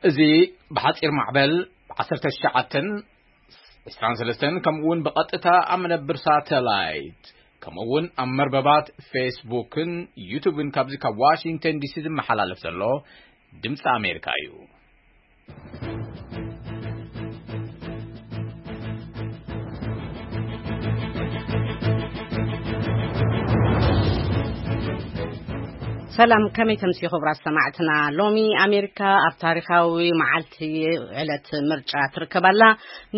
እዚ ብሓጺር ማዕበል ዓሰርተ ትሽዓተን ዕስራን ሰለስተን፣ ከምኡ እውን ብቐጥታ ኣብ መደብር ሳተላይት፣ ከምኡ እውን ኣብ መርበባት ፌስቡክን ዩቱብን ካብዚ ካብ ዋሽንግተን ዲሲ ዝመሓላለፍ ዘሎ ድምፂ ኣሜሪካ እዩ። ሰላም፣ ከመይ ተምሲ ክቡራት ሰማዕትና? ሎሚ ኣሜሪካ ኣብ ታሪኻዊ መዓልቲ ዕለት ምርጫ ትርከብ ኣላ።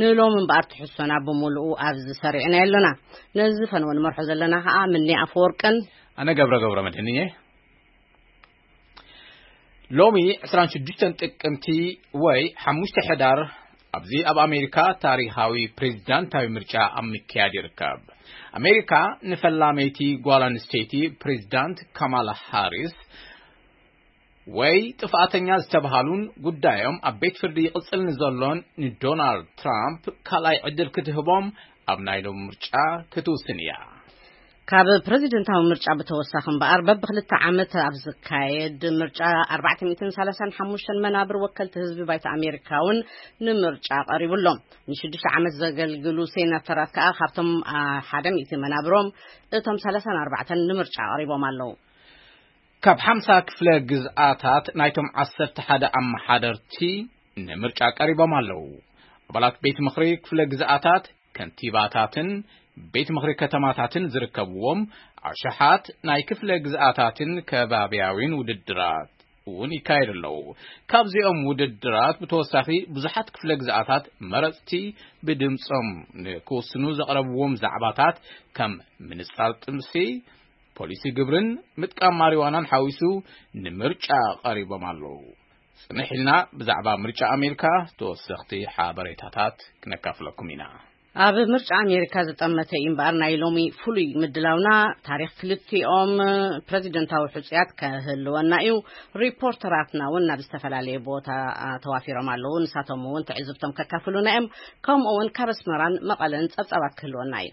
ንሎሚ እምበኣር ትሕዝቶና ብምሉኡ ኣብዚ ሰሪዕና ኣሎና። ነዚ ፈነወ ንመርሖ ዘለና ኸኣ ምኒ ኣፈወርቅን ኣነ ገብረ ገብረ መድህን እየ። ሎሚ ዕስራን ሽዱሽተን ጥቅምቲ ወይ ሓሙሽተ ሕዳር ኣብዚ ኣብ ኣሜሪካ ታሪኻዊ ፕሬዚዳንታዊ ምርጫ ኣብ ምክያድ ይርከብ። ኣሜሪካ ንፈላመይቲ ጓል ኣንስተይቲ ፕሬዚዳንት ካማላ ሃሪስ ወይ ጥፍኣተኛ ዝተብሃሉን ጉዳዮም ኣብ ቤት ፍርዲ ይቕጽል ንዘሎን ንዶናልድ ትራምፕ ካልኣይ ዕድል ክትህቦም ኣብ ናይ ሎሚ ምርጫ ክትውስን እያ። ካብ ፕሬዚደንታዊ ምርጫ ብተወሳኺ እምበኣር በብክልተ ዓመት ኣብ ዝካየድ ምርጫ ኣርባዕተ ሚእትን ሰላሳን ሓሙሽተን መናብር ወከልቲ ህዝቢ ባይታ ኣሜሪካ እውን ንምርጫ ቀሪቡ ኣሎ። ንሽዱሽተ ዓመት ዘገልግሉ ሴናተራት ከኣ ካብቶም፣ አ፣ ሓደ ሚእቲ መናብሮም እቶም ሰላሳን ኣርባዕተን ንምርጫ ቀሪቦም ኣለዉ። ካብ ሓምሳ ክፍለ ግዝኣታት ናይቶም ዓሰርተ ሓደ ኣመሓደርቲ ንምርጫ ቀሪቦም ኣለዉ። ኣባላት ቤት ምኽሪ ክፍለ ግዝኣታት፣ ከንቲባታትን ቤት ምኽሪ ከተማታትን ዝርከብዎም ኣሽሓት ናይ ክፍለ ግዝኣታትን ከባብያዊን ውድድራት እውን ይካየዱ ኣለዉ። ካብዚኦም ውድድራት ብተወሳኺ ብዙሓት ክፍለ ግዝኣታት መረፅቲ ብድምፆም ንክውስኑ ዘቕረብዎም ዛዕባታት ከም ምንፃር ጥምሲ፣ ፖሊሲ ግብርን ምጥቃም ማሪዋናን ሓዊሱ ንምርጫ ቀሪቦም ኣለዉ። ጽንሕ ኢልና ብዛዕባ ምርጫ ኣሜሪካ ተወሰኽቲ ሓበሬታታት ክነካፍለኩም ኢና። ኣብ ምርጫ ኣሜሪካ ዝጠመተ እዩ እምበኣር ናይ ሎሚ ፍሉይ ምድላውና ታሪኽ ክልቲኦም ፕሬዚደንታዊ ሕጹያት ከህልወና እዩ። ሪፖርተራትና እውን ናብ ዝተፈላለየ ቦታ፣ አ፣ ተዋፊሮም ኣለዉ። ንሳቶም እውን ትዕዝብቶም ከካፍሉና እዮም። ከምኡ እውን ካብ ኣስመራን መቐለን ጸብጻባት ክህልወና እዩ።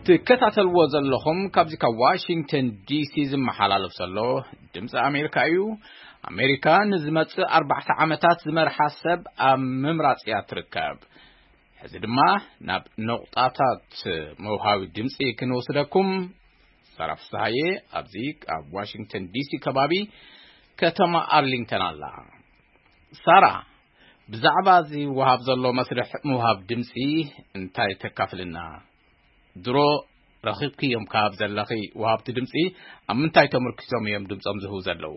ትከታተልዎ ዘለኹም ካብዚ ካብ ዋሽንግተን ዲሲ ዝመሓላለፍ ዘሎ ድምፂ ኣሜሪካ እዩ። ኣሜሪካ ንዝመፅእ ኣርባዕተ ዓመታት ዝመርሓ ሰብ ኣብ ምምራፅ እያ ትርከብ። ሕዚ ድማ ናብ ነቑጣታት መውሃቢ ድምፂ ክንወስደኩም። ሳራ ፍስሃየ ኣብዚ ኣብ ዋሽንግተን ዲሲ ከባቢ ከተማ ኣርሊንግተን ኣላ። ሳራ፣ ብዛዕባ እዚ ወሃብ ዘሎ መስርሕ ምውሃብ ድምፂ እንታይ ተካፍልና? ድሮ ረኺብክዮም ካብ ዘለኺ ወሃብቲ ድምፂ ኣብ ምንታይ ተመርኪሶም እዮም ድምፆም ዝህቡ ዘለዉ?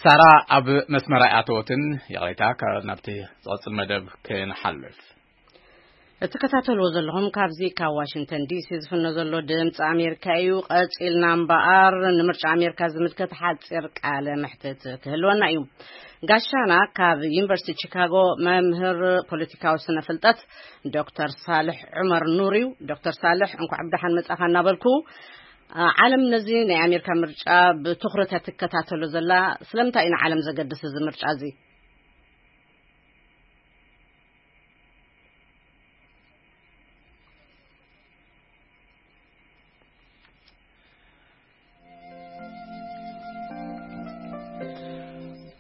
ሳራ ኣብ መስመር ኣይኣተወትን። ይቕሬታ፣ ካ-፣ ናብቲ ዝቐጽል መደብ ክንሓልፍ። እትከታተልዎ ዘለኹም ካብዚ ካብ ዋሽንግተን ዲሲ ዝፍኖ ዘሎ ድምፂ ኣሜሪካ እዩ። ቀጺልና እምበኣር ንምርጫ ኣሜሪካ ዝምልከት ሓጺር ቃለ መሕትት ክህልወና እዩ። ጋሻና ካብ ዩኒቨርሲቲ ቺካጎ መምህር ፖለቲካዊ ስነ ፍልጠት ዶክተር ሳልሕ ዑመር ኑር እዩ። ዶክተር ሳልሕ፣ እንኳዕ ብደሓን መጻኻ እናበልኩ፣ አ፣ ዓለም ነዚ ናይ ኣሜሪካ ምርጫ ብትኹረት እያ ትከታተሎ ዘላ። ስለምንታይ እዩ ንዓለም ዘገድስ እዚ ምርጫ እዚ?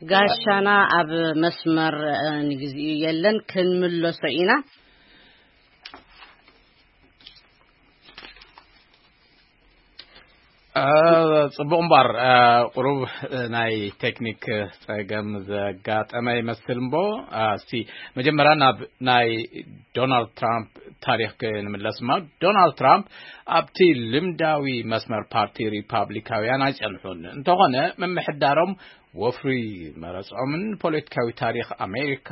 ጋሻና ኣብ መስመር፣ እ፣ ንግዚኡ የለን፣ ክንምለሶ ኢና። እ፣ ጽቡቕ እምበር፣ እ፣ ቁሩብ፣ እ፣ ናይ ቴክኒክ ጸገም ዘጋጠመ ይመስል እምቦ፣ እ፣ እስቲ መጀመርያ ናብ ናይ ዶናልድ ትራምፕ ታሪኽ ክንምለስ እማ። ዶናልድ ትራምፕ ኣብቲ ልምዳዊ መስመር ፓርቲ ሪፓብሊካውያን ኣይጸንሑን። እንተኾነ፣ ምምሕዳሮም ወፍሪ መረጾምን ፖለቲካዊ ታሪኽ ኣሜሪካ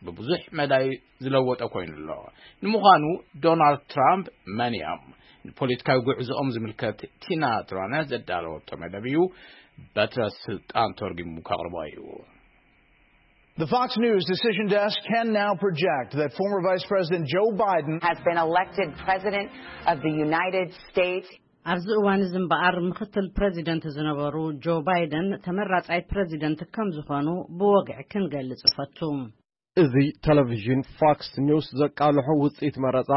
ብብዙሕ መዳይ ዝለወጠ ኮይኑ ኣሎ። ንምዃኑ ዶናልድ ትራምፕ መን እዮም? ንፖለቲካዊ ጉዕዞኦም ዝምልከት ቲና ትራነ ዘዳለወቶ መደብ እዩ። በትረ ስልጣን ተርጉሙ ከቕርቦ እዩ። The Fox News decision desk can now project that former Vice President Joe Biden has been elected President of the United States. ኣብዚ እዋን እዚ እምበኣር ምኽትል ፕረዚደንት ዝነበሩ ጆ ባይደን ተመራጻይ ፕረዚደንት ከም ዝኾኑ ብወግዒ ክንገልጽ እፈቱ። እዚ ቴሌቪዥን ፎክስ ኒውስ ዘቃልሖ ውጽኢት መረጻ፣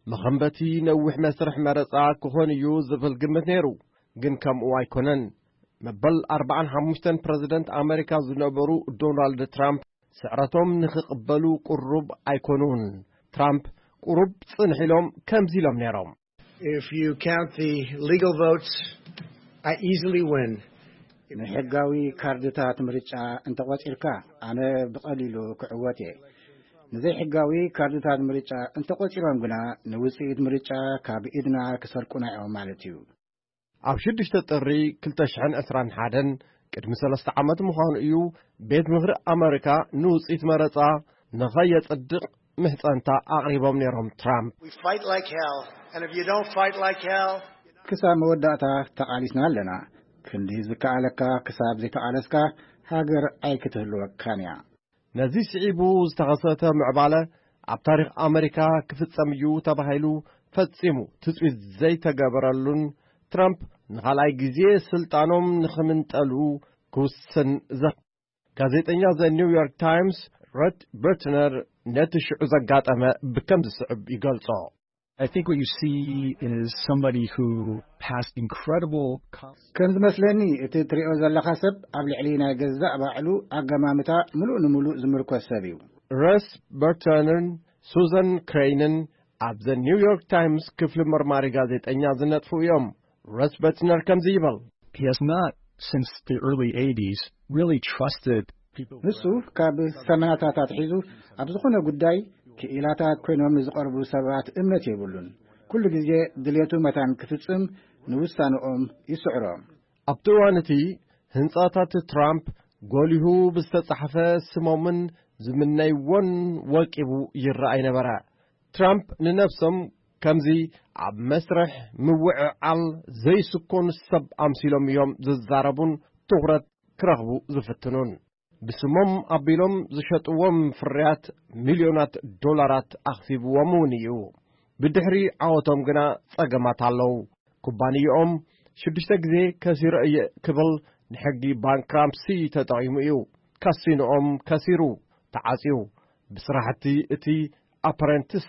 መኸንበቲ ነዊሕ መስርሕ መረጻ ክኾን እዩ ዝብል ግምት ነይሩ። ግን ከምኡ ኣይኮነን። መበል ኣርባዓን ሓሙሽተን ፕረዚደንት ኣመሪካ ዝነበሩ ዶናልድ ትራምፕ ስዕረቶም ንኽቕበሉ ቅሩብ ኣይኮኑን። ትራምፕ ቅሩብ ጽንሕ ኢሎም ከምዚ ኢሎም ነይሮም። If you count the legal votes, I easily win. ንሕጋዊ ካርድታት ምርጫ እንተቖጺርካ፣ ኣነ ብቐሊሉ ክዕወት እየ። ንዘይሕጋዊ ካርድታት ምርጫ እንተቖጺሮም ግና፣ ንውጽኢት ምርጫ ካብ ኢድና ክሰርቁና እዮም ማለት እዩ። ኣብ ሽዱሽተ ጥሪ ክልተ ሽሕን ዕስራን ሓደን፣ ቅድሚ ሰለስተ ዓመት ምዃኑ እዩ፣ ቤት ምኽሪ ኣመሪካ ንውጽኢት መረጻ ንኸየጽድቕ ምሕጸንታ ኣቕሪቦም ነይሮም ትራምፕ። We fight like hell, and if you don't fight like hell, ክሳብ መወዳእታ ተቓሊስና ኣለና። ክንዲ ዝከኣለካ ክሳብ ዘይተቓለስካ፣ ሃገር ኣይክትህልወካን እያ። ነዚ ስዒቡ ዝተኸሰተ ምዕባለ ኣብ ታሪኽ ኣመሪካ ክፍጸም እዩ ተባሂሉ ፈጺሙ ትጽቢት ዘይተገበረሉን፣ ትራምፕ ንኻልኣይ ግዜ ስልጣኖም ንኽምንጠሉ ክውስን ዘ-፣ ጋዜጠኛ ዘ ኒውዮርክ ታይምስ ሮት በርትነር ነቲ ሽዑ ዘጋጠመ ብከም ዝስዕብ ይገልጾ። I think what you see is somebody who passed incredible. ከም ዝመስለኒ፣ እቲ ትሪኦ ዘለኻ ሰብ ኣብ ልዕሊ ናይ ገዛእ ባዕሉ ኣገማምታ ምሉእ ንምሉእ ዝምርኮስ ሰብ እዩ። ረስ በርተነርን ሱዘን ክሬይንን ኣብ ዘ ኒውዮርክ ታይምስ ክፍሊ መርማሪ ጋዜጠኛ ዝነጥፉ እዮም። ረስ በርትነር ከምዚ ይበል። He has not, since the early eighties, really trusted people. ንሱ ካብ ሰመናታት ኣትሒዙ ኣብ ዝኾነ ጉዳይ ክኢላታት ኮይኖም ንዝቐርቡ ሰባት እምነት የብሉን። ኩሉ ግዜ ድሌቱ መታን ክፍጽም ንውሳንኦም ይስዕሮም። ኣብቲ እዋን እቲ ህንጻታት ትራምፕ ጎሊሁ ብዝተጻሕፈ ስሞምን ዝምነይዎን ወቂቡ ይረኣይ ነበረ። ትራምፕ ንነብሶም ከምዚ ኣብ መስርሕ ምውዕዓል ዘይስኮኑ ሰብ ኣምሲሎም እዮም ዝዛረቡን ትኹረት ክረኽቡ ዝፍትኑን። ብስሞም ኣቢሎም ዝሸጥዎም ፍርያት ሚልዮናት ዶላራት ኣኽሲብዎም እውን እዩ። ብድሕሪ ዓወቶም ግና ጸገማት ኣለዉ። ኩባንያኦም ሽዱሽተ ግዜ ከሲረ እየ ክብል ንሕጊ ባንክራፕሲ ተጠቒሙ እዩ። ካሲኖኦም ከሲሩ፣ ተዓጽዩ። ብስራሕቲ እቲ ኣፕረንቲስ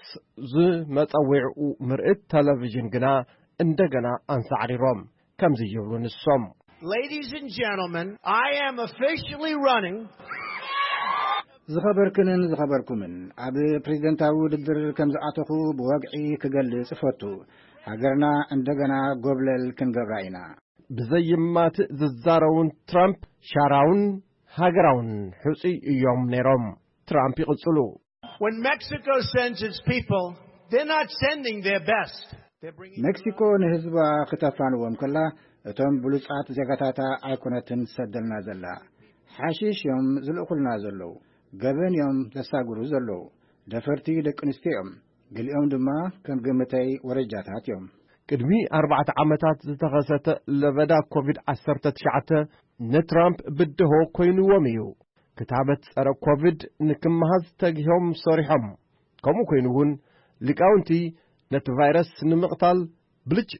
ዝመጸዊዕኡ ምርኢት ቴሌቪዥን ግና እንደገና ኣንሳዕሪሮም። ከምዚ ይብሉ ንሶም። Ladies and gentlemen, I am officially running. ዝኸበርክንን ዝኸበርኩምን፣ ኣብ ፕሬዝደንታዊ ውድድር ከም ዝኣተኹ ብወግዒ ክገልጽ እፈቱ። ሃገርና እንደገና ጎብለል ክንገብራ ኢና። ብዘይማትእ ዝዛረቡን ትራምፕ ሻራውን ሃገራውን ሕጹይ እዮም ነይሮም። ትራምፕ ይቕጽሉ። When Mexico sends its people, they're not sending their best. They're bringing ሜክሲኮ ንህዝባ ክተፋንዎም ከላ፣ እቶም ብሉጻት ዜጋታታ ኣይኮነትን ትሰደልና ዘላ። ሓሺሽ እዮም ዝልእኹልና ዘለዉ። ገበን እዮም ዘሳግሩ ዘለዉ። ደፈርቲ ደቂ ኣንስትዮ እዮም። ገሊኦም ድማ ከም ግምተይ ወረጃታት እዮም። ቅድሚ ኣርባዕተ ዓመታት ዝተኸሰተ ለበዳ ኮቪድ ዓሰርተ ትሽዓተ ንትራምፕ ብድሆ ኮይንዎም እዩ። ክታበት ጸረ ኮቪድ ንክመሃዝ ተጊሆም ሰሪሖም። ከምኡ ኮይኑ እውን ሊቃውንቲ ነቲ ቫይረስ ንምቕታል ብልጭ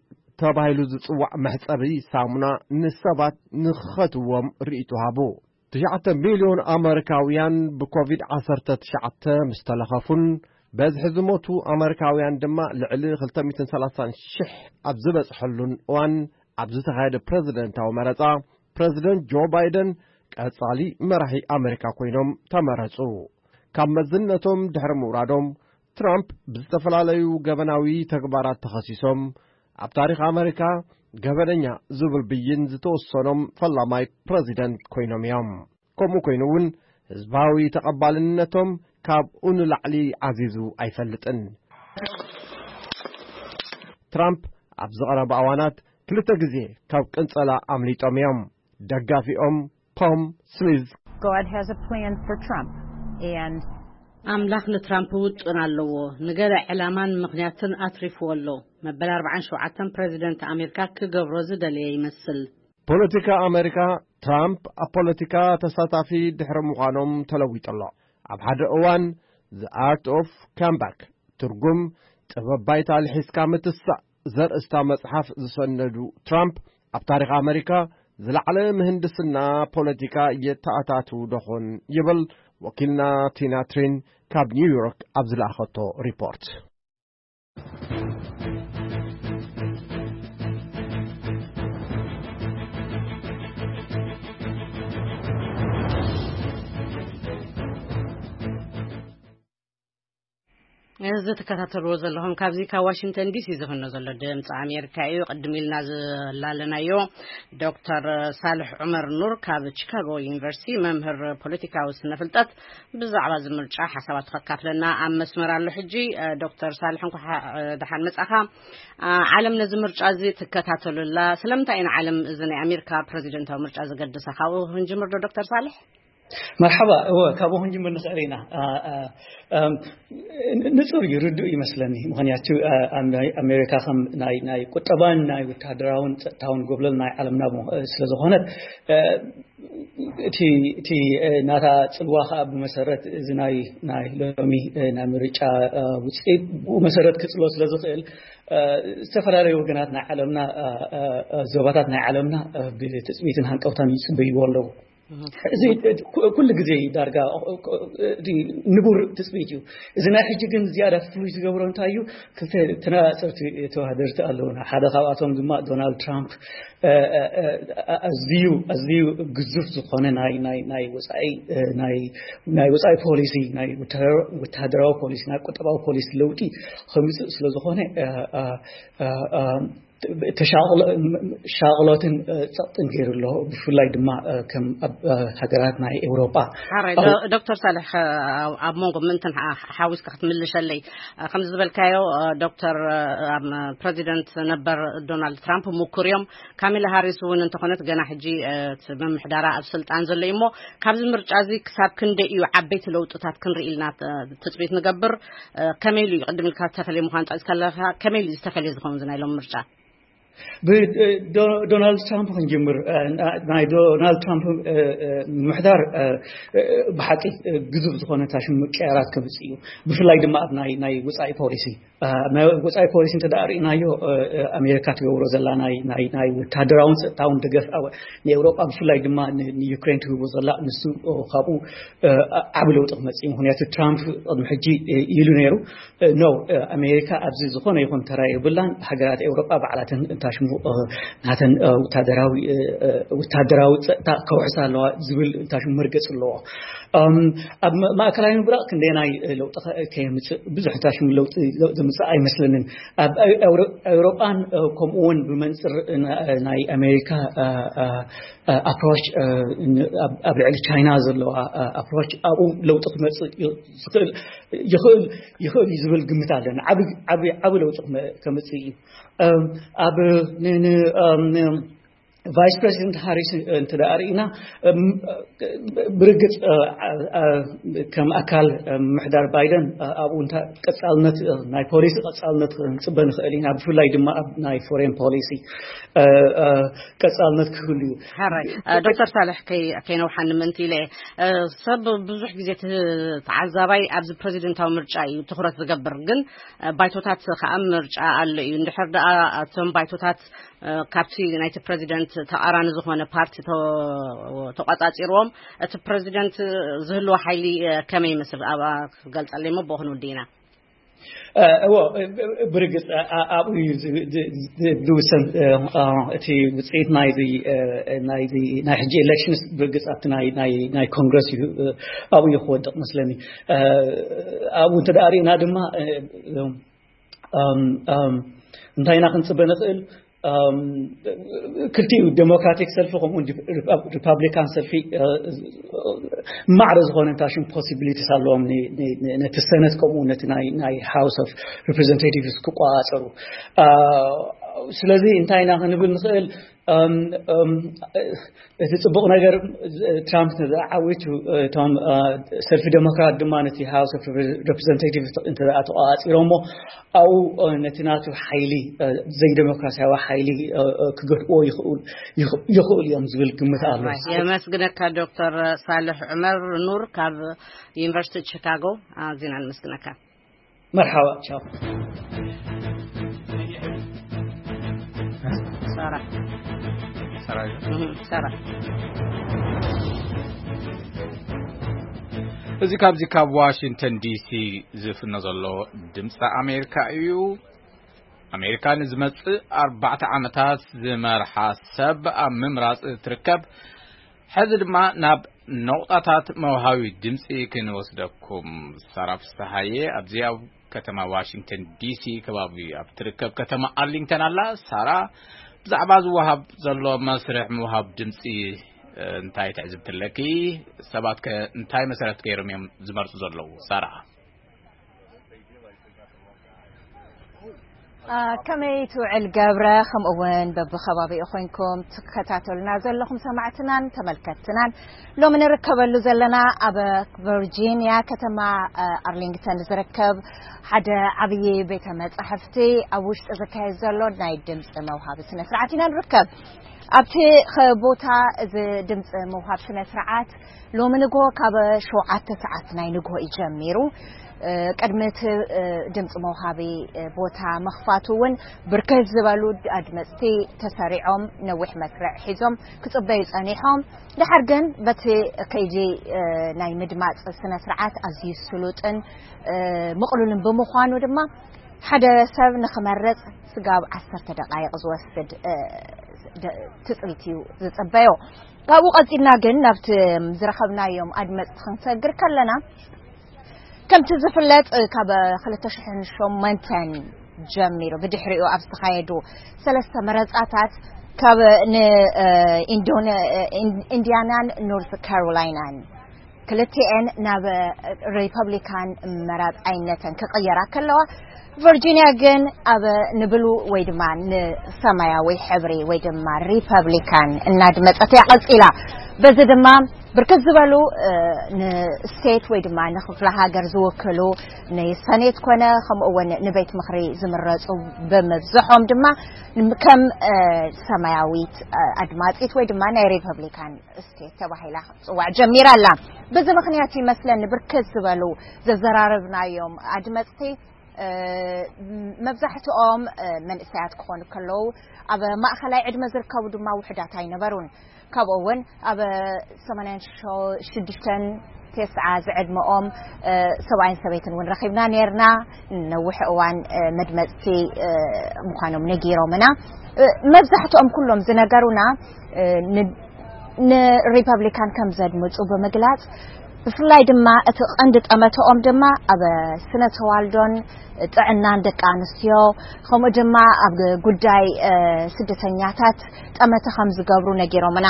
ተባሂሉ ዝጽዋዕ መሕጸቢ ሳሙና ንሰባት ንኽኸትዎም ርእይቶ ሃቡ። ትሽዓተ ሚልዮን ኣመሪካውያን ብኮቪድ ዓሰርተ ትሽዓተ ምስ ተለኸፉን በዝሒ ዝሞቱ ኣመሪካውያን ድማ ልዕሊ ክልተ ሚእትን ሰላሳን ሽሕ ኣብ ዝበጽሐሉን እዋን፣ ኣብ ዝተኻየደ ፕረዚደንታዊ መረጻ፣ ፕረዚደንት ጆ ባይደን ቀጻሊ መራሒ ኣመሪካ ኮይኖም ተመረጹ። ካብ መዝነቶም ድሕሪ ምውራዶም፣ ትራምፕ ብዝተፈላለዩ ገበናዊ ተግባራት ተኸሲሶም፣ ኣብ ታሪኽ ኣመሪካ ገበነኛ ዝብል ብይን ዝተወሰኖም ፈላማይ ፕረዚደንት ኮይኖም እዮም። ከምኡ ኮይኑ እውን፣ ህዝባዊ ተቐባልነቶም ካብኡ ንላዕሊ ዓዚዙ ኣይፈልጥን። ትራምፕ ኣብ ዝቐረባ እዋናት ክልተ ግዜ ካብ ቅንጸላ ኣምሊጦም እዮም። ደጋፊኦም ፖም ስሊዝ God has a plan for Trump, and ኣምላኽ ንትራምፕ ውጥን ኣለዎ። ንገለ ዕላማን ምኽንያትን ኣትሪፍዎ ኣሎ። መበል ኣርባዓን ሸውዓተን ፕረዚደንት ኣሜሪካ ክገብሮ ዝደለየ ይመስል። ፖለቲካ ኣሜሪካ፣ ትራምፕ ኣብ ፖለቲካ ተሳታፊ ድሕሪ ምዃኖም ተለዊጡ ኣሎ። ኣብ ሓደ እዋን The Art of Comeback፣ ትርጉም ጥበብ ባይታ ልሒስካ ምትሳእ ዘርእስታ መጽሓፍ ዝሰነዱ ትራምፕ፣ ኣብ ታሪኽ ኣሜሪካ ዝለዓለ ምህንድስና ፖለቲካ የተኣታቱ ደኾን ይብል ወኪልና ቲና ትሪን ካብ ኒውዮርክ ኣብ ዝለኣኸቶ ሪፖርት። እዚ ትከታተልዎ ዘለኹም ካብዚ ካብ ዋሽንግተን ዲሲ ዝፍኖ ዘሎ ድምፂ ኣሜሪካ እዩ። ቅድም ኢልና ዝላለናዮ ዶክተር ሳልሕ ዑመር ኑር ካብ ቺካጎ ዩኒቨርሲቲ መምህር ፖለቲካዊ ስነ ፍልጠት ብዛዕባ እዚ ምርጫ ሓሳባቱ ከካፍለና ኣብ መስመር ኣሎ። ሕጂ ዶክተር ሳልሕ እንኳ ደሓን መጻኻ። ዓለም ነዚ ምርጫ እዚ ትከታተሉላ ስለምንታይ ኢና ዓለም እዚ ናይ ኣሜሪካ ፕረዚደንታዊ ምርጫ ዘገድሳ? ካብኡ ክንጅምር ዶ ዶክተር ሳልሕ? መርሓባ። እወ፣ ካብኡ ክንጅምር ንኽእል ኢና። ንፁር እዩ፣ ርዱእ ይመስለኒ። ምኽንያቱ ኣሜሪካ ከም ናይ ናይ ቁጠባን ናይ ወታደራውን ጸጥታውን ጎብለል ናይ ዓለምና ስለ ዝኾነት፣ እቲ እቲ ናታ ጽልዋ ከዓ ብመሰረት እዚ ናይ ናይ ሎሚ ናይ ምርጫ ውፅኢት ብኡ መሰረት ክፅሎ ስለ ዝኽእል፣ ዝተፈላለዩ ወገናት ናይ ዓለምና፣ ዞባታት ናይ ዓለምና ብትፅቢትን ሃንቀውታን ይፅበይዎ ኣለዉ። እዚ ኩሉ ግዜ ዳርጋ ንቡር ትፅቢት እዩ። እዚ ናይ ሕጂ ግን ዝያዳ ፍሉይ ዝገብሮ እንታይ እዩ? ክልተ ተነፃፀርቲ ተወዳደርቲ ኣለውና። ሓደ ካብኣቶም ድማ ዶናልድ ትራምፕ ኣዝዩ ኣዝዩ ግዙፍ ዝኾነ ናይ ናይ ናይ ወፃኢ ናይ ወፃኢ ፖሊሲ፣ ናይ ወታደራዊ ፖሊሲ፣ ናይ ቁጠባዊ ፖሊሲ ለውጢ ከምፅእ ስለ ዝኾነ ተሻቕሎትን ጸቕጥን ገይሩ ኣሎ። ብፍላይ ድማ ከም ኣብ ሃገራት ናይ ኤውሮጳ። ሓራይ ዶ- ዶክተር ሳልሕ፣ ኣብ መንጎ ምእንትን ሓ- ሓዊስካ ክትምልሸለይ። ከምዚ ዝበልካዮ ዶክተር፣ ፕረዚደንት ነበር ዶናልድ ትራምፕ ምኩር እዮም። ካሚላ ሃሪስ እውን እንተኾነት ገና ሕጂ ምምሕዳራ ኣብ ስልጣን ዘሎ እዩ እሞ፣ ካብዚ ምርጫ እዚ ክሳብ ክንደይ እዩ ዓበይቲ ለውጥታት ክንርኢ ኢልና ትፅቢት ንገብር? ከመይ ኢሉ እዩ? ቅድም ኢልካ ዝተፈለየ ምዃን ጠቂስካ ኣለካ። ከመይ ኢሉ ዝተፈለየ ዝኸውን እዚ ናይ ሎም ምርጫ? ብዶናልድ ትራምፕ ክንጅምር። ናይ ዶናልድ ትራምፕ ምሕዳር ብሓቂ ግዙፍ ዝኾነ ታሽም ምቅያራት ከምፅእ እዩ። ብፍላይ ድማ ኣብ ናይ ናይ ውፃኢ ፖሊሲ፣ ናይ ወፃኢ ፖሊሲ እንተ ደኣ ርኢናዮ፣ ኣሜሪካ ትገብሮ ዘላ ናይ ናይ ናይ ወታደራውን ጸጥታውን ደገፍ፣ ንኤውሮጳ ብፍላይ ድማ ንዩክሬን ትህቦ ዘላ፣ ንሱ ካብኡ ዓቢ ለውጢ ክመጽእ እዩ። ምኽንያቱ ትራምፕ ቅድሚ ሕጂ ኢሉ ነይሩ፣ ኖ፣ ኣሜሪካ ኣብዚ ዝኾነ ይኹን ተራ የብላን፣ ሃገራት ኤውሮጳ ባዕላተን እንታሽሙ ናተን ወታደራዊ ወታደራዊ ጸጥታ ከውሕሳ ኣለዋ ዝብል እንታሽሙ መርገጽ ኣለዎ። ኣብ ማእከላይ ምብራቕ ክንደየናይ ለውጢ ከየምጽእ ብዙሕ እንታሽሙ ለውጢ ዘምጽእ ኣይመስለንን። ኣብ ኤውሮጳን ከምኡ እውን ብመንጽር ናይ ኣሜሪካ ኣፕሮች፣ ኣብ ልዕሊ ቻይና ዘለዋ ኣፕሮች ኣብኡ ለውጢ ክመጽእ ይኽእል ይኽእል ይኽእል እዩ ዝብል ግምት ኣለኒ። ዓቢ ዓቢ ዓቢ ለውጢ ክመ- ከምጽእ እዩ። ኣብ ን- ን- ቫይስ ፕሬዚደንት ሃሪስ እንተ ደኣ ርኢና፣ ብርግጽ ከም ኣካል ምሕዳር ባይደን ኣብኡ እንታ ቀጻልነት ናይ ፖሊሲ ቀጻልነት ክንጽበ ንኽእል ኢና። ብፍላይ ድማ ኣብ ናይ ፎሬን ፖሊሲ ቀጻልነት ክህሉ እዩ። ሓራይ ዶክተር ሳልሕ፣ ከይነውሓኒ ምእንቲ ኢለ፣ ሰብ ብዙሕ ግዜ ተዓዛባይ ኣብዚ ፕረዚደንታዊ ምርጫ እዩ ትኹረት ዝገብር፣ ግን ባይቶታት ከዓ ምርጫ ኣሎ እዩ። እንድሕር ደኣ እቶም ባይቶታት ካብቲ ናይቲ ፕረዚደንት ተቓራኒ ዝኾነ ፓርቲ ተቋጻጺርዎም፣ እቲ ፕረዚደንት ዝህልዎ ሓይሊ ከመይ ይመስል? ኣብኣ ክገልጸለይ እሞ ብኡ ክንውዲ ኢና። እዎ፣ ብርግጽ ኣብኡ እዩ ዝውሰን። እቲ ውፅኢት ናይዚ ናይዚ ናይ ሕጂ ኤሌክሽንስ ብርግጽ ኣብቲ ናይ ናይ ናይ ኮንግረስ እዩ፣ ኣብኡ እዩ ክወድቕ መስለኒ። ኣብኡ እንተ ደኣ ርኢና ድማ እንታይ ኢና ክንፅበ ንኽእል? ክልቲኡ ዴሞክራቲክ ሰልፊ ከምኡ ሪፓብሊካን ሰልፊ ማዕረ ዝኾነ እንታሽም ፖሲቢሊቲስ ኣለዎም ነቲ ሰነት ከምኡ ነቲ ናይ ሃውስ ኦፍ ሪፕሬዘንቴቲቭስ ክቆፃፀሩ። ስለዚ እንታይ ኢና ክንብል ንኽእል? እቲ ፅቡቕ ነገር ትራምፕ ዓዊቱ፣ እቶም ሰልፊ ዴሞክራት ድማ ነቲ ሃውስ ኦፍ ሬፕሬዘንታቲቭ እንተ ተቆፃፂሮሞ ኣብኡ ነቲ ናቱ ሓይሊ፣ ዘይዴሞክራሲያዊ ሓይሊ ክገድዎ ይኽእሉ እዮም ዝብል ግምት ኣሎ። የመስግነካ ዶክተር ሳልሕ ዑመር ኑር ካብ ዩኒቨርሲቲ ቺካጎ። ኣዚና ንመስግነካ። መርሓባ፣ ቻው። ሳራ። ሳራ። ሳራ። እዚ ካብዚ ካብ ዋሽንግተን ዲሲ ዝፍኖ ዘሎ ድምፂ ኣሜሪካ እዩ። ኣሜሪካ ንዝመጽእ ኣርባዕተ ዓመታት ዝመርሓ ሰብ ኣብ ምምራጽ ትርከብ። ሕዚ ድማ ናብ ነቑጣታት መውሃቢ ድምፂ ክንወስደኩም። ሳራ ፍስሃየ ኣብዚ ኣብ ከተማ ዋሽንግተን ዲሲ ከባቢ ኣብ ትርከብ ከተማ ኣርሊንግተን ኣላ። ሳራ፣ ብዛዕባ ዝወሃብ ዘሎ መስርሕ ምውሃብ ድምፂ እንታይ ትዕዝብቲ ኣለኪ? ሰባት ከ እንታይ መሰረት ገይሮም እዮም ዝመርፁ ዘለዉ? ሳራ። ከመይ ትውዕል ገብረ? ከምኡ እውን በብከባቢኡ ኮይንኩም ትከታተሉና ዘለኹም ሰማዕትናን ተመልከትትናን፣ ሎሚ ንርከበሉ ዘለና ኣብ ቨርጂኒያ ከተማ ኣርሊንግተን ዝርከብ ሓደ ዓብዪ ቤተ መጻሕፍቲ ኣብ ውሽጢ ዝካየድ ዘሎ ናይ ድምፂ መውሃቢ ስነ ስርዓት ኢና ንርከብ። ኣብቲ ቦታ እዚ ድምፂ ምውሃብ ስነ ስርዓት ሎሚ ንግሆ ካብ ሸውዓተ ሰዓት ናይ ንግሆ እዩ ጀሚሩ። ቅድሚ እቲ ድምፂ መውሃቢ ቦታ ምኽፋቱ እውን ብርክት ዝበሉ ኣድመፅቲ ተሰሪዖም ነዊሕ መስርዕ ሒዞም ክፅበዩ ፀኒሖም። ድሓር ግን በቲ ከይዲ ናይ ምድማፅ ስነ ስርዓት ኣዝዩ ስሉጥን ምቕሉልን ብምዃኑ ድማ ሓደ ሰብ ንኽመርፅ ስጋብ ዓሰርተ ደቃይቕ ዝወስድ ትፅቢት እዩ ዝፅበዮ። ካብኡ ቀፂልና ግን ናብቲ ዝረኸብናዮም ኣድመፅቲ ክንሰግር ከለና፣ ከምቲ ዝፍለጥ ካብ ክልተ ሽሕን ሸሞንተን ጀሚሩ ብድሕሪኡ ኣብ ዝተኻየዱ ሰለስተ መረፃታት ካብ ንኢንዲያናን ኖርት ካሮላይናን ክልቲኤን ናብ ሪፐብሊካን መራፃይነተን ክቕየራ ከለዋ፣ ቨርጂኒያ ግን ኣብ ንብሉ ወይ ድማ ንሰማያዊ ሕብሪ ወይ ድማ ሪፐብሊካን እናድመፀት እያ ቀፂላ። በዚ ድማ ብርክት ዝበሉ ንስቴት ወይ ድማ ንክፍለ ሃገር ዝውክሉ ንሰኔት ኮነ ከምኡ እውን ንቤት ምኽሪ ዝምረፁ ብምብዝሖም ድማ ከም ሰማያዊት ኣድማፂት ወይ ድማ ናይ ሪፐብሊካን ስቴት ተባሂላ ክትፅዋዕ ጀሚራ ኣላ። በዚ ምኽንያት ይመስለኒ ብርክት ዝበሉ ዘዘራረብናዮም ኣድመፅቲ መብዛሕትኦም መንእሰያት ክኾኑ ከለዉ፣ ኣብ ማእኸላይ ዕድመ ዝርከቡ ድማ ውሑዳት ኣይነበሩን። ካብኡ እውን ኣብ ሰማንያን ሽዱሽተን ተስዓ ዝዕድመኦም ሰብኣይን ሰበይትን እውን ረኺብና ነርና። ነዊሕ እዋን መድመፅቲ ምዃኖም ነጊሮምና። መብዛሕትኦም ኩሎም ዝነገሩና ንሪፐብሊካን ከም ዘድምፁ ብምግላፅ፣ ብፍላይ ድማ እቲ ቀንዲ ጠመተኦም ድማ ኣብ ስነ ተዋልዶን ጥዕናን ደቂ ኣንስትዮ፣ ከምኡ ድማ ኣብ ጉዳይ ስደተኛታት ጠመተ ከም ዝገብሩ ነጊሮምና።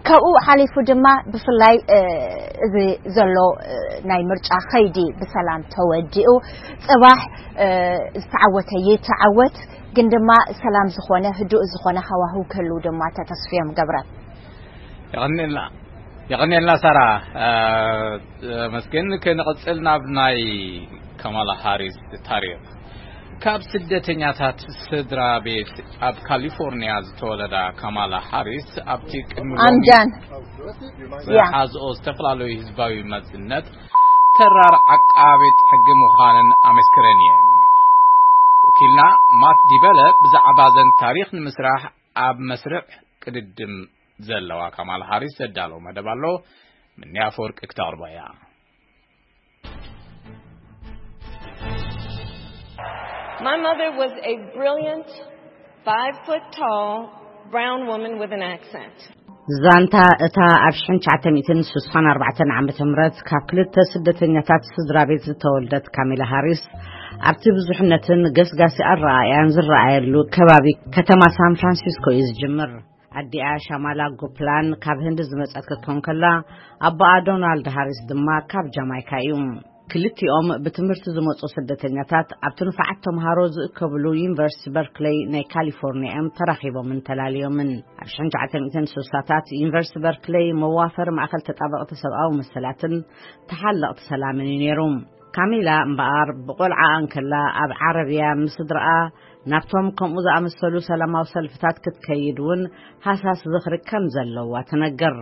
ካብኡ ሓሊፉ ድማ ብፍላይ እዚ ዘሎ ናይ ምርጫ ከይዲ ብሰላም ተወዲኡ፣ ፅባሕ ዝተዓወተ ይተዓወት፣ ግን ድማ ሰላም ዝኾነ ህዱእ ዝኾነ ሃዋህው ክህልው ድማ ተተስፍዮም ገብረ። የቐንየልና። የቐንየልና ሳራ። መስገን፣ ክንቕፅል ናብ ናይ ካማላ ሃሪስ ታሪኽ። ካብ ስደተኛታት ስድራ ቤት ኣብ ካሊፎርኒያ ዝተወለዳ ካማላ ሃሪስ፣ ኣብቲ ቅድሚ ሎሚ ኣምዳን ዝሓዝኦ ዝተፈላለዩ ህዝባዊ መዝነት ተራር ዓቃቤት ሕጊ ምዃነን ኣመስክረን እየን። ወኪልና ማት ዲበለ ብዛዕባ ዘን ታሪኽ ንምስራሕ ኣብ መስርዕ ቅድድም ዘለዋ ካማላ ሃሪስ ዘዳለዎ መደብ ኣሎ። ምንያ ኣፈወርቂ ክተቕርቦ እያ። My mother was a brilliant, five foot tall, brown woman with an accent. ዛንታ እታ ኣብ ሽሕን ትሽዓተ ሚእትን ስሳን ኣርባዕተን ዓመተ ምህረት ካብ ክልተ ስደተኛታት ስድራ ቤት ዝተወልደት ካሜላ ሃሪስ፣ ኣብቲ ብዙሕነትን ገስጋሲ ኣረኣእያን ዝረኣየሉ ከባቢ ከተማ ሳን ፍራንሲስኮ እዩ ዝጅምር። ኣዲኣ ሻማላ ጎፕላን ካብ ህንዲ ዝመጸት ክትኮን ከላ፣ ኣቦኣ ዶናልድ ሃሪስ ድማ ካብ ጃማይካ እዩ። ክልቲኦም ብትምህርቲ ዝመጹ ስደተኛታት ኣብቲ ንፉዓት ተምሃሮ ዝእከብሉ ዩኒቨርሲቲ በርክለይ ናይ ካሊፎርኒያ እዮም ተራኺቦምን ተላልዮምን። ኣብ ሽሕን ትሽዓተ ሚእትን ስሳታት ዩኒቨርሲቲ በርክለይ መዋፈሪ ማእከል ተጣበቕቲ ሰብኣዊ መሰላትን ተሓለቕቲ ሰላምን እዩ ነይሩ። ካሚላ እምበኣር ብቆልዓኣ እንከላ ኣብ ዓረብያ ምስ ስድራኣ ናብቶም ከምኡ ዝኣመሰሉ ሰላማዊ ሰልፍታት ክትከይድ እውን ሃሳስ ዝኽሪ ከም ዘለዋ ትነግር።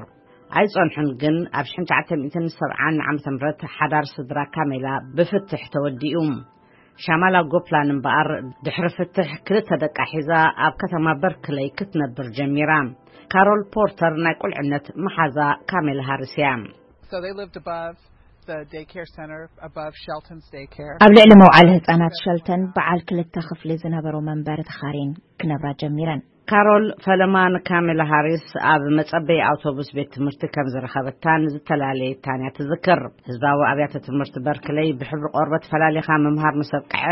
ኣይጸንሑን ግን ኣብ ሽሕን ትሽዓተ ሚእትን ሰብዓን ዓመተ ምህረት ሓዳር ስድራ ካሜላ ብፍትሕ ተወዲኡ። ሻማላ ጎፕላን እምበኣር ድሕሪ ፍትሕ ክልተ ደቃ ሒዛ ኣብ ከተማ በርክለይ ክትነብር ጀሚራ። ካሮል ፖርተር ናይ ቁልዕነት መሓዛ ካሜላ ሃሪስ እያ። So they lived above. the daycare center above Shelton's daycare. ኣብ ልዕሊ መውዓሊ ህጻናት ሸልተን በዓል ክልተ ክፍሊ ዝነበሮ መንበሪ ተኻሪን ክነብራ ጀሚረን። ካሮል ፈለማ ንካሜላ ሃሪስ ኣብ መጸበይ ኣውቶቡስ ቤት ትምህርቲ ከም ዝረኸበታን ዝተፈላለየታን እያ ትዝክር። ህዝባዊ ኣብያተ ትምህርቲ በርክለይ ብሕብሪ ቆርበት ፈላሊኻ ምምሃር ምስ ኣብቅዐ፣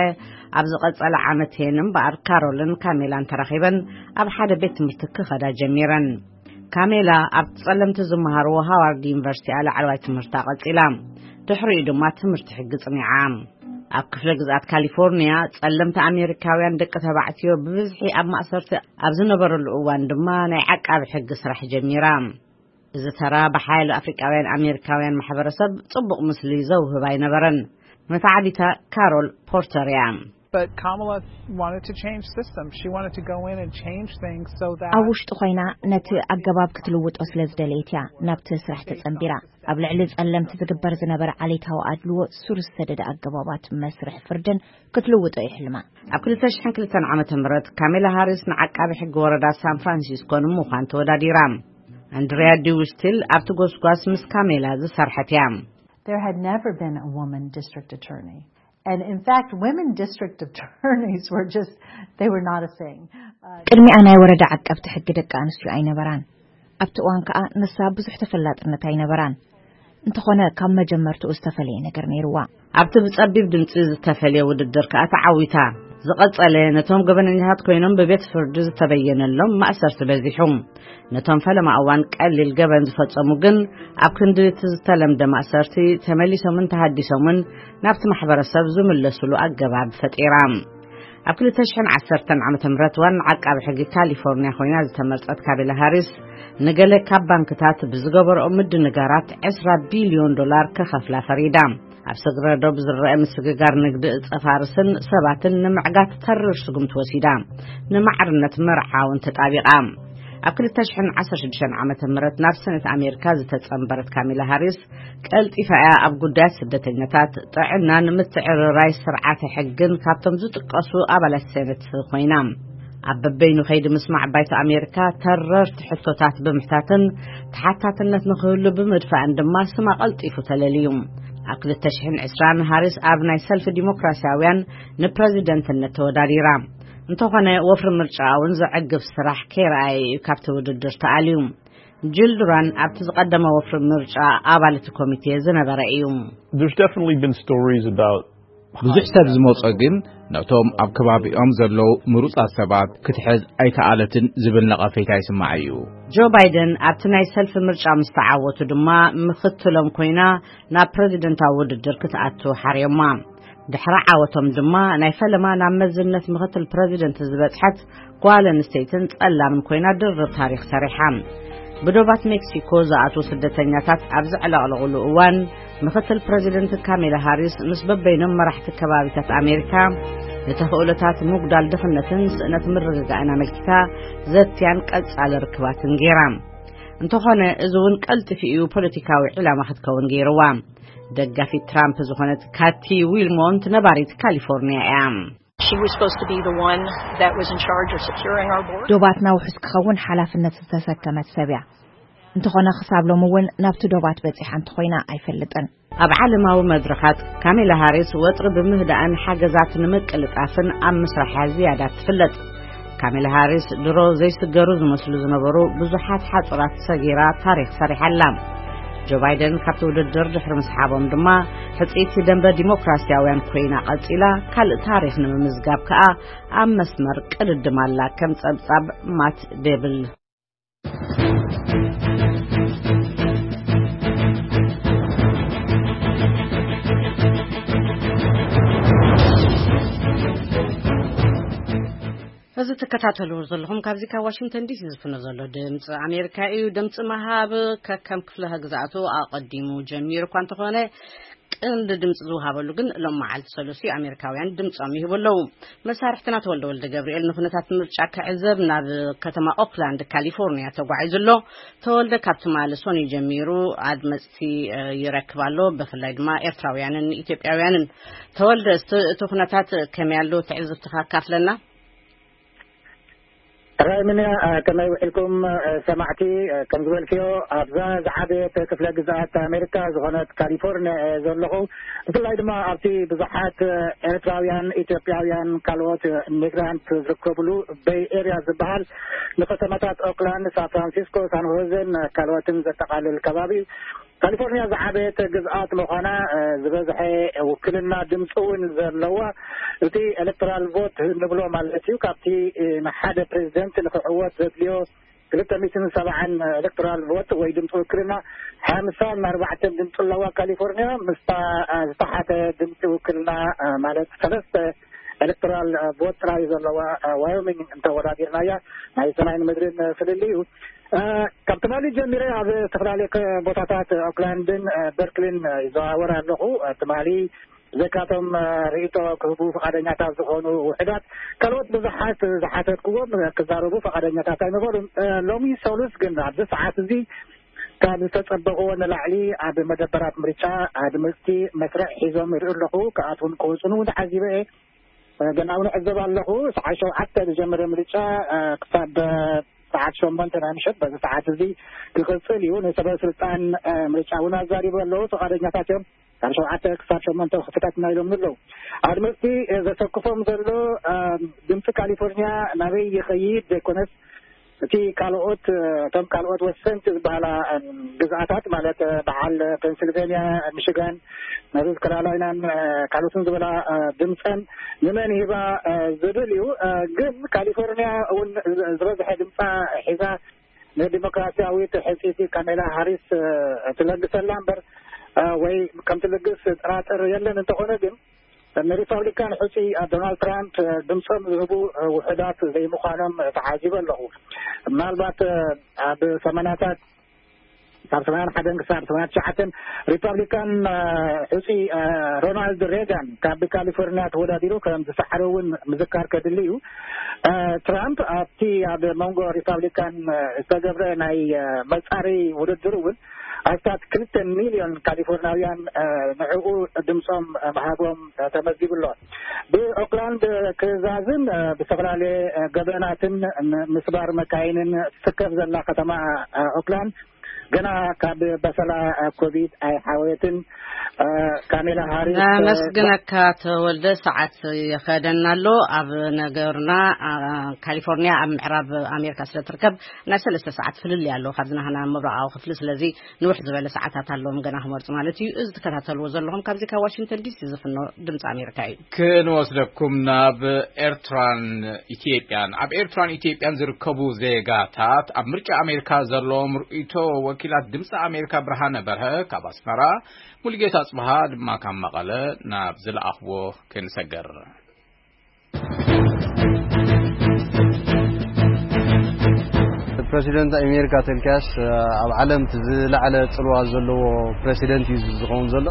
ኣብ ዝቐጸለ ዓመት እየን እምበኣር ካሮልን ካሜላን ተራኺበን ኣብ ሓደ ቤት ትምህርቲ ክኸዳ ጀሚረን። ካሜላ ኣብቲ ጸለምቲ ዝመሃርዎ ሃዋርድ ዩኒቨርሲቲ ላዕለዋይ ትምህርታ ቀጺላ። ድሕሪኡ ድማ ትምህርቲ ሕጊ ጽኒዓ። ኣብ ክፍለ ግዝኣት ካሊፎርኒያ ጸለምቲ ኣሜሪካውያን ደቂ ተባዕትዮ ብብዝሒ ኣብ ማእሰርቲ ኣብ ዝነበረሉ እዋን ድማ ናይ ዓቃቢ ሕጊ ስራሕ ጀሚራ። እዚ ተራ ብሓያሎ ኣፍሪቃውያን ኣሜሪካውያን ማሕበረሰብ ጽቡቕ ምስሊ ዘውህብ ኣይነበረን። መታዕቢታ ካሮል ፖርተር እያ። But Kamala wanted to change systems. She wanted to go in and change things so that ኣብ ውሽጢ ኮይና ነቲ ኣገባብ ክትልውጦ ስለ ዝደለየት እያ ናብቲ ስራሕ ተጸንቢራ። ኣብ ልዕሊ ጸለምቲ ዝግበር ዝነበረ ዓሌታዊ ኣድልዎ ሱር ዝሰደደ ኣገባባት መስርሕ ፍርድን ክትልውጦ ይሕልማ። ኣብ ክልተ ሽሕን ክልተን ዓመተ ምህረት ካሜላ ሃሪስ ንዓቃቢ ሕጊ ወረዳ ሳን ፍራንሲስኮ ንምዃን ተወዳዲራ። ኣንድሪያ ዲውስቲል ኣብቲ ጎስጓስ ምስ ካሜላ ዝሰርሐት እያ። There had never been a woman district attorney. And in fact, women district attorneys were just, they were not a thing. Uh, ቅድሚኣ ናይ ወረዳ ዓቀብቲ ሕጊ ደቂ ኣንስትዮ ኣይነበራን። ኣብቲ እዋን ከኣ ንሳ ብዙሕ ተፈላጥነት ኣይነበራን። እንተኾነ ካብ መጀመርትኡ ዝተፈለየ ነገር ነይርዋ። ኣብቲ ብጸቢብ ድምጺ ዝተፈልየ ውድድር ከኣ ተዓዊታ። ዝቐጸለ ነቶም ገበነኛታት ኮይኖም ብቤት ፍርዲ ዝተበየነሎም ማእሰርቲ በዚሑ። ነቶም ፈለማ እዋን ቀሊል ገበን ዝፈጸሙ ግን ኣብ ክንዲ እቲ ዝተለምደ ማእሰርቲ ተመሊሶምን ተሃዲሶምን ናብቲ ማሕበረሰብ ዝምለስሉ ኣገባብ ፈጢራ። ኣብ ክልተ ሽሕን ዓሰርተን ዓመተ ምህረት ዋና ዓቃቢ ሕጊ ካሊፎርኒያ ኮይና ዝተመርጸት ካሜላ ሃሪስ ንገለ ካብ ባንክታት ብዝገበረኦ ምድንጋራት ዕስራ ቢልዮን ዶላር ከኸፍላ ፈሪዳ። ኣብ ስግረ ዶብ ዝረአ ምስግጋር ንግዲ እጸ ፋርስን ሰባትን ንምዕጋት ተሪር ስጉምቲ ወሲዳ። ንማዕርነት መርዓ እውን ተጣቢቓ። ኣብ ክልተ ሽሕን ዓሰርተ ሽዱሽተን ዓመተ ምህረት ናብ ሰነት ኣሜሪካ ዝተጸንበረት ካሚላ ሃሪስ ቀልጢፋ እያ ኣብ ጉዳያት ስደተኛታት፣ ጥዕናን ምትዕርራይ ስርዓተ ሕግን ካብቶም ዝጥቀሱ ኣባላት ሰነት ኮይና። ኣብ በበይኑ ከይዲ ምስማዕ ባይቶ ኣሜሪካ ተረርቲ ሕቶታት ብምሕታትን ተሓታትነት ንክህሉ ብምድፋእን ድማ ስማ ቀልጢፉ ተለልዩ። ኣብ ክልተ ሽሕን ዕስራን ሃሪስ ኣብ ናይ ሰልፊ ዲሞክራሲያውያን ንፕረዚደንትነት ተወዳዲራ። እንተኾነ ወፍሪ ምርጫ እውን ዘዕግብ ስራሕ ከይረኣየ እዩ ካብቲ ውድድር ተኣልዩ። ጅል ዱራን ኣብቲ ዝቐደመ ወፍሪ ምርጫ ኣባል እቲ ኮሚቴ ዝነበረ እዩ። There's definitely been stories about ብዙሕ ሰብ ዝመጾ ግን ነቶም ኣብ ከባቢኦም ዘለዉ ምሩጻት ሰባት ክትሕዝ ኣይከኣለትን ዝብል ነቐፌታ ይስማዕ እዩ። ጆ ባይደን ኣብቲ ናይ ሰልፊ ምርጫ ምስ ተዓወቱ ድማ ምኽትሎም ኮይና ናብ ፕረዚደንታዊ ውድድር ክትኣቱ ሓርዮማ። ድሕሪ ዓወቶም ድማ ናይ ፈለማ ናብ መዝነት ምኽትል ፕረዚደንት ዝበጽሐት ጓል ኣንስተይትን ጸላምን ኮይና ድርብ ታሪኽ ሰሪሓ። ብዶባት ሜክሲኮ ዝኣትዉ ስደተኛታት ኣብ ዘዕለቕለቑሉ እዋን፣ ምኽትል ፕረዚደንት ካሜላ ሃሪስ ምስ በበይኖም መራሕቲ ከባቢታት ኣሜሪካ ንተኽእሎታት ምጉዳል ድኽነትን ስእነት ምርግጋእን ኣመልኪታ ዘትያን ቀጻሊ ርክባትን ገይራ። እንተኾነ፣ እዚ እውን ቀልጢፉ እዩ ፖለቲካዊ ዒላማ ክትከውን ገይርዋ። ደጋፊት ትራምፕ ዝኾነት ካቲ ዊልሞንት ነባሪት ካሊፎርኒያ እያ። She was supposed to be the one that was in charge of securing our border. ዶባትና ውሑስ ክኸውን ሓላፍነት ዝተሰከመት ሰብ እያ። እንተኾነ ክሳብ ሎሚ እውን ናብቲ ዶባት በጺሓ እንተኾይና ኣይፈልጥን። ኣብ ዓለማዊ መድረኻት ካሜላ ሃሪስ ወጥሪ ብምህዳእን ሓገዛት ንምቅልጣፍን ኣብ ምስራሓ ዝያዳ ትፍለጥ። ካሜላ ሃሪስ ድሮ ዘይስገሩ ዝመስሉ ዝነበሩ ብዙሓት ሓጹራት ሰጊራ ታሪኽ ሰሪሓ ኣላ። ጆ ባይደን ካብቲ ውድድር ድሕሪ ምስሓቦም ድማ ሕጽይቲ ደንበ ዲሞክራሲያውያን ኮይና ቀጺላ፣ ካልእ ታሪኽ ንምምዝጋብ ከኣ ኣብ መስመር ቅድድም ኣላ፣ ከም ጸብጻብ ማት ዴብል። እዚ ትከታተልዎ ዘለኹም ካብዚ ካብ ዋሽንግተን ዲሲ ዝፍኖ ዘሎ ድምፂ ኣሜሪካ እዩ። ድምፂ ምሃብ ከከም ክፍለ ግዝኣቱ ኣቐዲሙ ጀሚሩ እኳ እንተኾነ፣ ቀንዲ ድምፂ ዝወሃበሉ ግን ሎም መዓልቲ ሰሉሲ ኣሜሪካውያን ድምፆም ይህቡ ኣለዉ። መሳርሕትና ተወልደ ወልደ ገብርኤል ንኩነታት ምርጫ ክዕዘብ ናብ ከተማ ኦክላንድ ካሊፎርኒያ ተጓዒዙ ኣሎ። ተወልደ ካብ ትማሊ ሰኑይ ጀሚሩ ኣድመፅቲ፣ እ፣ ይረክብ ኣሎ። ብፍላይ ድማ ኤርትራውያንን ኢትዮጵያውያንን። ተወልደ፣ እስቲ እቲ ኩነታት ከመይ ኣሎ ትዕዝብትኻ ኣካፍለና። ሃይ ምንያ፣ እ፣ ከመይ ውዒልኩም፣ እ፣ ሰማዕቲ? እ፣ ከም ዝበልክዮ፣ ኣብዛ ዝዓበየት ክፍለ ግዝኣት ኣሜሪካ ዝኾነት ካሊፎርኒያ እየ ዘለኹ። ብፍላይ ድማ ኣብቲ ብዙሓት፣ እ፣ ኤርትራውያን፣ ኢትዮጵያውያን፣ ካልኦት፣ እ፣ ሚግራንት ዝርከብሉ ቤይ ኤርያ ዝበሃል፣ ንከተማታት ኦክላንድ፣ ሳን ፍራንሲስኮ፣ ሳን ሆዜን፣ እ፣ ካልኦትን ዘጠቓልል ከባቢ እዩ። ካሊፎርኒያ ዝዓበየት ግዝኣት ምዃና፣ እ፣ ዝበዝሐ ውክልና ድምፂ እውን ዘለዋ፣ እቲ ኤሌክቶራል ቮት ንብሎ ማለት እዩ፣ ካብቲ፣ እ፣ ንሓደ ፕሬዚደንት ንክዕወት ዘድልዮ ክልተ ሚእትን ሰብዓን ኤሌክቶራል ቮት ወይ ድምፂ ውክልና ሓምሳን ኣርባዕተን ድምፂ ኣለዋ ካሊፎርኒያ። ምስታ፣ እ፣ ዝተሓተ ድምፂ ውክልና፣ እ፣ ማለት ሰለስተ ኤሌክቶራል፣ እ፣ ቮት ጥራይ ዘለዋ፣ እ፣ ዋዮሚንግ እንተወዳዲርናያ፣ ናይ ሰማይን ምድርን፣ እ፣ ፍልልይ እዩ። እ፣ ካብ ትማሊ ጀሚረ ኣብ ዝተፈላለዩ ከ-፣ ቦታታት ኦክላንድን፣ እ፣ በርክሊን፣ እ፣ ይዘዋወር ኣለኹ። እ፣ ትማሊ ብዘይካቶም፣ እ፣ ርእይቶ ክህቡ ፍቓደኛታት ዝኾኑ ውሑዳት፣ ካልኦት ብዙሓት ዝሓተትክዎም፣ እ፣ ክዛረቡ ፍቓደኛታት ኣይነበሩን። እ፣ ሎሚ ሰሉስ ግን ኣብዚ ሰዓት እዚ ካብ ዝተጸበቕዎ ንላዕሊ ኣብ መደበራት ምርጫ ኣድመፅቲ መስርዕ ሒዞም ይርእዩ ኣለኹ። ክኣትዉን ክወፁን እውን ተዓዚበ እየ። ገና እውን ዕዘብ ኣለኹ። ሰዓት ሸውዓተ ዝጀመረ ምርጫ፣ እ፣ ክሳብ፣ እ፣ ሰዓት ሸሞንተ ናይ ምሸት በዚ ሰዓት እዚ ክቕጽል እዩ። ንሰበ ስልጣን፣ እ፣ ምርጫ እውን ኣዛሪቡ ኣለዉ። ፍቓደኛታት እዮም። ካብ ሸውዓተ ክሳብ ሸሞንተ ክፍታት ኢና ኢሎም ኣለዉ። ኣድመፅቲ፣ እ፣ ዘሰክፎም ዘሎ፣ እ፣ ድምፂ ካሊፎርኒያ ናበይ ይኸይድ ዘይኮነስ እቲ ካልኦት፣ እ፣ እቶም ካልኦት ወሰንቲ ዝበሃላ፣ እ፣ ግዝኣታት ማለት፣ እ፣ በዓል ፔንስልቬንያ፣ ሚሽጋን፣ ኖርዝ ካሮላይናን፣ እ፣ ካልኦትን ዝበላ፣ እ፣ ድምፀን ንመን ሂባ፣ እ፣ ዝብል እዩ። እ፣ ግን ካሊፎርኒያ እውን ዝ-፣ ዝበዝሐ ድምፃ ሒዛ ንዲሞክራሲያዊት ሕፅይቲ ካሜላ ሃሪስ፣ እ፣ ትለግሰላ እምበር፣ እ፣ ወይ ከም ትልግስ ጥራጥር የለን። እንተኾነ ግን ንሪፓብሊካን ሕፁይ ዶናልድ ትራምፕ ድምፆም ዝህቡ ውሑዳት ዘይምዃኖም ተዓዚበ ኣለኹ። ምናልባት ኣብ ሰማንያታት፣ ካብ ሰማንያን ሓደን ክሳብ ሰማንያን ትሽዓተን ሪፓብሊካን ሕፁይ ሮናልድ ሬጋን ካብ ካሊፎርኒያ ተወዳዲሩ ከም ዝሰሓረ እውን ምዝካር ከድሊ እዩ። ትራምፕ ኣብቲ ኣብ መንጎ ሪፓብሊካን ዝተገብረ ናይ መፃረይ ውድድር እውን ኣስታት ክልተ ሚልዮን ካሊፎርናውያን ንዕኡ ድምፆም ምሃቦም ተመዝጊቡ ኣሎ። ብኦክላንድ ክዛዝን ብዝተፈላለየ ገበናትን ምስባር መካይንን ትስከፍ ዘላ ከተማ ኦክላንድ ገና ካብ በሰላ ኮቪድ ኣይሓወየትን። ካሜላ ሃሪስ ነመስግነካ ተወልደ። ሰዓት ይኸደና ኣሎ። ኣብ ነገርና ካሊፎርኒያ ኣብ ምዕራብ ኣሜሪካ ስለ ትርከብ ናይ ሰለስተ ሰዓት ፍልልይ ኣሎ ካብዚ ናህና ምብራቓዊ ክፍሊ። ስለዚ ንውሕ ዝበለ ሰዓታት ኣለዎም ገና ክመርፁ ማለት እዩ። እዚ ትከታተልዎ ዘለኹም ካብዚ ካብ ዋሽንግተን ዲሲ ዝፍኖ ድምፂ ኣሜሪካ እዩ። ክንወስደኩም ናብ ኤርትራን ኢትዮጵያን። ኣብ ኤርትራን ኢትዮጵያን ዝርከቡ ዜጋታት ኣብ ምርጫ ኣሜሪካ ዘለዎም ርእይቶ ወኪላት ድምፂ ኣሜሪካ ብርሃነ በርሀ ካብ ኣስመራ፣ ሙሉጌታ ኣጽብሃ ድማ ካብ መቐለ ናብ ዝለኣኽዎ ክንሰገር። ፕረሲደንት ኣሜሪካ ተልካስ ኣብ ዓለም እቲ ዝለዓለ ጽልዋ ዘለዎ ፕረሲደንት እዩ ዝኸውን ዘሎ።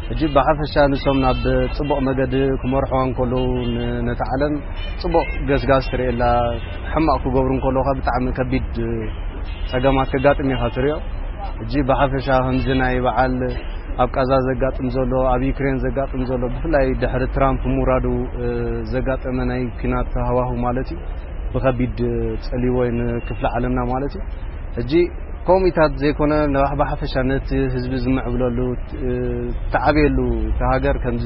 ሕጂ ብሓፈሻ ንሶም ናብ ጽቡቕ መገዲ ክመርሕዋ እንከለዉ ን-፣ ነቲ ዓለም ጽቡቕ ገስጋስ ትርእየላ፣ ሕማቕ ክገብሩ እንከለዉ ከኣ ብጣዕሚ ከቢድ ጸገማት ከጋጥም ኢኻ ትርእዮ። ሕጂ ብሓፈሻ ከምዚ ናይ በዓል ኣብ ቃዛ ዘጋጥም ዘሎ፣ ኣብ ዩክሬን ዘጋጥም ዘሎ፣ ብፍላይ ድሕሪ ትራምፕ ምውራዱ፣ እ፣ ዘጋጠመ ናይ ኲናት ሃዋሁ ማለት እዩ። ብኸቢድ ጸልይዎ እዩ ንክፍለ ዓለምና ማለት እዩ። ሕጂ ከምኡታት ዘይኮነ፣ ንባሕ-፣ ብሓፈሻ ነቲ ህዝቢ ዝምዕብለሉ፣ እ፣ ተዓብየሉ፣ እቲ ሃገር ከምዚ፣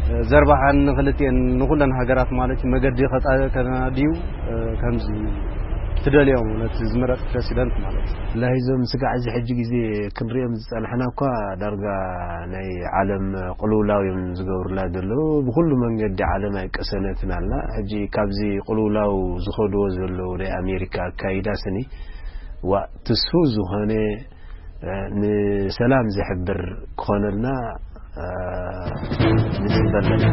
እ፣ ዘርባሓን ንክልቲኤን ንኹለን ሃገራት ማለት እዩ፣ መገዲ ከጻ-፣ ከናድዩ፣ እ፣ ከምዚ ትደልዮም ነቲ ዝምረጥ ፕረሲደንት ማለት እዩ። ላሂ እዞም ስጋዕ እዚ ሕጂ ግዜ ክንሪኦም ዝጸናሕና እኳ ዳርጋ ናይ ዓለም ቅልውላው እዮም ዝገብሩላ ዘለዉ። ብኹሉ መንገዲ ዓለም ኣይቀሰነትን ኣላ። ሕጂ ካብዚ ቅልውላው ዝኸድዎ ዘለዉ ናይ ኣሜሪካ ኣካይዳ ስኒ፣ ዋ፣ ትስፉው ዝኾነ፣ እ፣ ንሰላም ዝሕብር ክኾነልና፣ እ፣ ንጽበ ኣለና።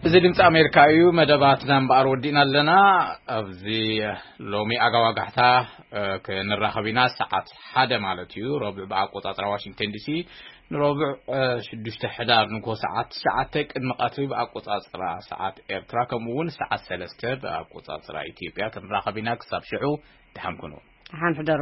እዚ ድምፂ ኣሜሪካ እዩ። መደባትና እምበኣር ወዲእና ኣለና። ኣብዚ ሎሚ ኣጋዋጋሕታ፣ እ፣ ክንራኸብ ኢና። ሰዓት ሓደ ማለት እዩ፣ ረቡዕ ብኣቆጻጽራ ዋሽንግተን ዲሲ። ንረቡዕ፣ እ፣ ሽዱሽተ ሕዳር ንግሆ ሰዓት ትሽዓተ ቅድሚ ቀትሪ ብኣቆጻጽራ ሰዓት ኤርትራ፣ ከምኡ እውን ሰዓት ሰለስተ ብኣቆጻጽራ ኢትዮጵያ ክንራኸብ ኢና። ክሳብ ሽዑ ደሓን ኩኑ። ደሓን ሕደሩ።